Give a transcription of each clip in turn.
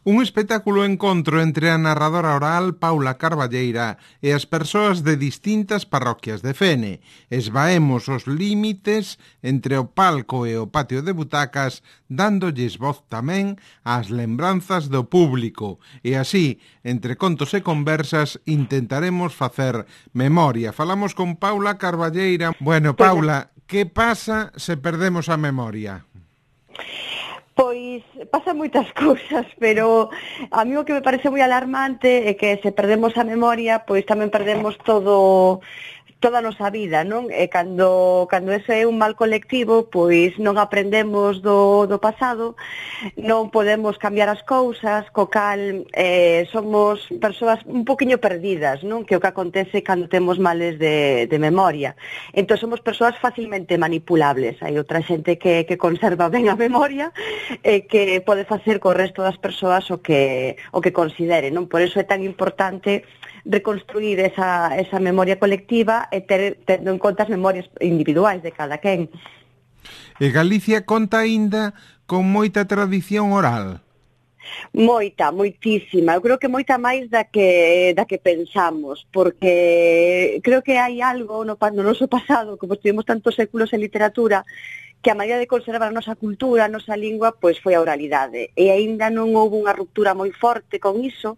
Un espectáculo encontro entre a narradora oral Paula Carballeira e as persoas de distintas parroquias de Fene. Esvaemos os límites entre o palco e o patio de butacas, dándolles voz tamén ás lembranzas do público. E así, entre contos e conversas, intentaremos facer memoria. Falamos con Paula Carballeira. Bueno, Paula, que pasa se perdemos a memoria? Pois pasan moitas cousas, pero a mí o que me parece moi alarmante é que se perdemos a memoria, pois tamén perdemos toda a nosa vida, non? E cando ese é un mal colectivo, pois non aprendemos do pasado, non podemos cambiar as cousas, co cal somos persoas un poquinho perdidas, non? Que o que acontece cando temos males de memoria. Entón somos persoas facilmente manipulables. Hai outra xente que conserva ben a memoria e que pode facer co resto das persoas o que considere, non? Por iso é tan importante reconstruir esa memoria colectiva e tendo en conta as memorias individuais de cada quen. E Galicia conta aínda con moita tradición oral? Moitísima. Eu creo que moita máis da que pensamos, porque creo que hai algo no noso pasado, como estuvimos tantos séculos en literatura, que a maneira de conservar a nosa cultura, a nosa lingua, pois foi a oralidade. E aínda non houve unha ruptura moi forte con iso,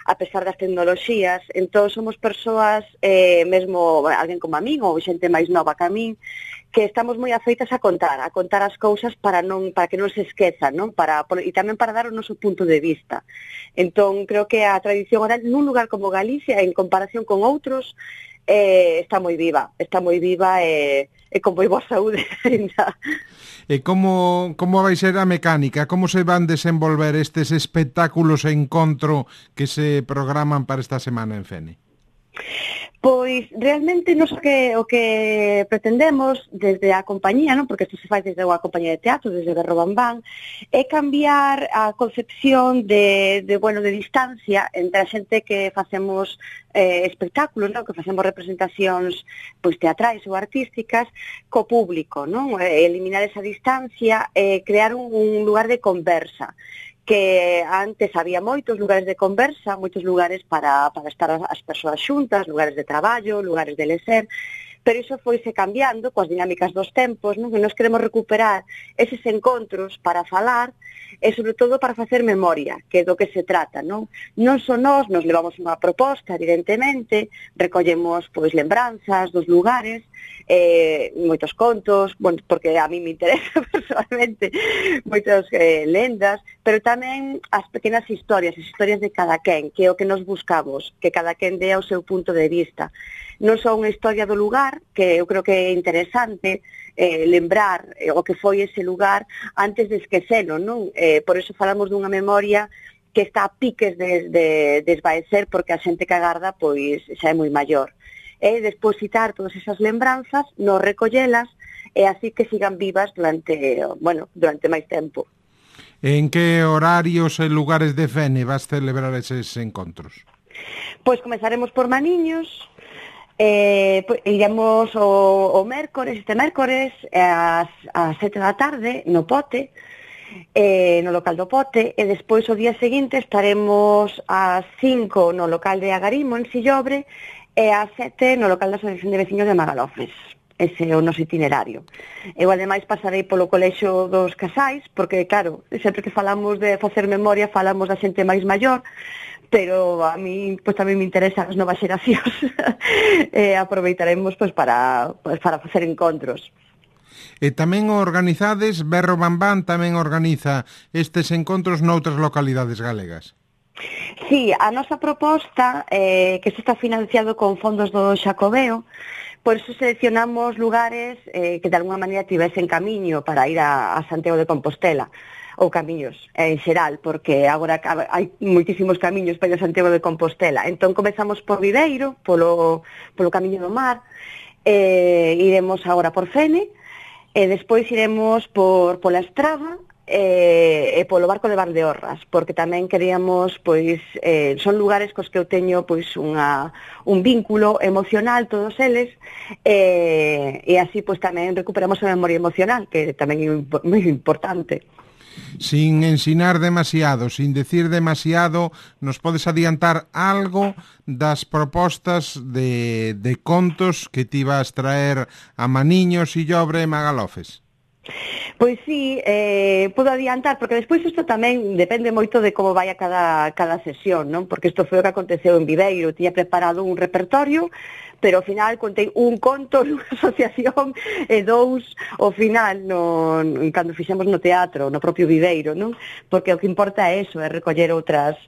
a pesar das tecnoloxías. Entón somos persoas, mesmo alguén como a min ou xente máis nova que a min, que estamos moi afeitas a contar as cousas para que non se esquezan, non? E tamén para dar o noso punto de vista. Entón creo que a tradición oral nun lugar como Galicia, en comparación con outros, está moi viva e con moi boa saúde ainda. E como vai ser a mecánica? Como se van desenvolver estes espectáculos e encontro que se programan para esta semana en Fene? Pois realmente nos o que pretendemos desde a compañía, non? Porque isto se fai desde a compañía de teatro, desde Berro Bambán, é cambiar a concepción de distancia entre a xente que facemos espectáculos, non? Que facemos representacións pois teatrais ou artísticas co público, non? Eliminar esa distancia e crear un lugar de conversa, que antes había moitos lugares de conversa, moitos lugares para estar as persoas xuntas, lugares de traballo, lugares de lecer, pero iso foise cambiando coas dinámicas dos tempos, non? Que nos queremos recuperar eses encontros para falar e, sobre todo, para facer memoria, que é do que se trata, non? Non só nos levamos unha proposta, evidentemente, recollemos pois lembranzas dos lugares, moitos contos, porque a mí me interesa personalmente, moitas lendas, pero tamén as pequenas historias, as historias de cada quen, que é o que nos buscamos, que cada quen dé o seu punto de vista. Non só unha historia do lugar, que eu creo que é interesante lembrar o que foi ese lugar antes de esquecelo, non? Por iso falamos dunha memoria que está a piques de esvaecer, porque a xente que agarda pois xa é moi maior. É depositar todas esas lembranzas, non recollelas, e así que sigan vivas durante máis tempo. En que horarios e lugares de Fene vas celebrar eses encontros? Pois comezaremos por Maniños, iremos o mércores, este mércores, ás 7 da tarde, no Pote, no local do Pote, e despois o día seguinte estaremos ás 5 no local de Agarimo, en Sillobre, e ás 7 no local da Asociación de Veciños de Magalofes. Ese é o noso itinerario. Eu, ademais, pasarei polo colexio dos casais, porque, claro, sempre que falamos de facer memoria, falamos da xente máis maior, pero a mí pois tamén me interesan as novas xeracións. Aproveitaremos pois para facer encontros. E tamén organizades, Berro Bambán tamén organiza estes encontros noutras localidades galegas. Sí, a nosa proposta, que se está financiado con fondos do Xacobeo, por iso seleccionamos lugares que de alguna maneira tivesen camiño para ir a Santiago de Compostela, ou camiños en xeral, porque agora hai moitísimos camiños para ir a Santiago de Compostela. Entón comezamos por Viveiro, polo camiño do mar, iremos agora por Fene, e despois iremos pola Estrada, e polo barco de Valdeorras, porque tamén queríamos, pois, son lugares cos que eu teño pois un vínculo emocional, todos eles, e así pois tamén recuperamos a memoria emocional, que tamén é moi importante. Sin ensinar demasiado, sin decir demasiado, nos podes adiantar algo das propostas de contos que ti vas traer a Maniño, Sillobre e Magalofes? Pois sí, podo adiantar, porque despois isto tamén depende moito de como vai a cada sesión, non? Porque isto foi o que aconteceu en Viveiro, tiña preparado un repertorio, pero ao final contei un conto nunha asociación e dous ao final cando fixemos no teatro, no propio Viveiro, non? Porque o que importa é eso, é recoller outras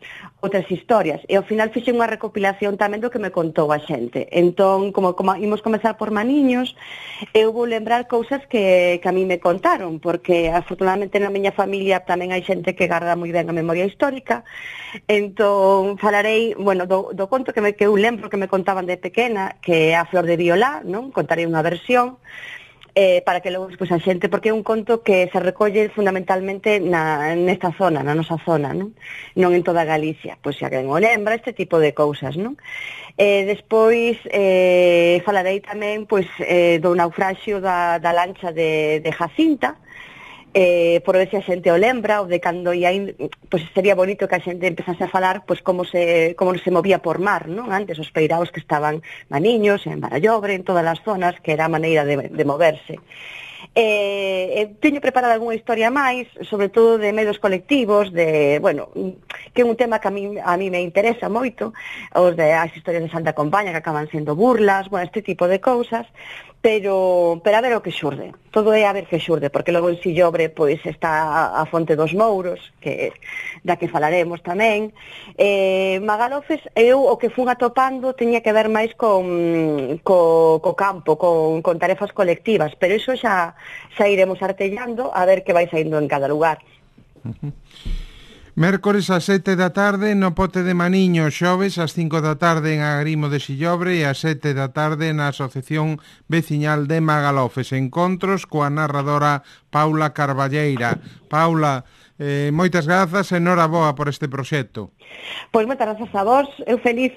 historias. E ao final fixe unha recopilación tamén do que me contou a xente. Entón, como imos comezar por Maniños, eu vou lembrar cousas que a mí me contaron, porque afortunadamente na miña familia tamén hai xente que garda moi ben a memoria histórica. Entón, falarei, bueno, do conto que eu lembro que me contaban de pequena, que é A Flor de Violá, non? Contarei unha versión para que logo a xente, porque é un conto que se recolle fundamentalmente nesta zona, na nosa zona, non en toda Galicia, pois xa quen o lembra, este tipo de cousas, non? Despois falarei tamén pois do naufraxio da lancha de Jacinta, por ver se a xente o lembra, ou de cando pois sería bonito que a xente empezase a falar pois como se movía por mar, non? Antes os peiraos que estaban Maniños, en Barallobre, en todas as zonas, que era a maneira de moverse. Teño preparado algunha historia máis, sobre todo de medios colectivos, que é un tema que a mí me interesa moito, as historias de Santa Compaña que acaban sendo burlas, este tipo de cousas, pero a ver o que xurde. Todo é a ver que xurde, porque logo en Sillobre pois está a Fonte dos Mouros, da que falaremos tamén. Magalofes, eu o que fun atopando teña que ver máis co campo, con tarefas colectivas, pero iso xa iremos artellando a ver que vai saindo en cada lugar. Mércores ás 7 da tarde no Pote de Maniño, xoves ás 5 da tarde en Agrimo de Sillobre e ás 7 da tarde na Asociación Veciñal de Magalofes. Encontros coa narradora Paula Carballeira. Paula, moitas grazas e noraboa por este proxecto. Pois moitas grazas a vos, eu feliz.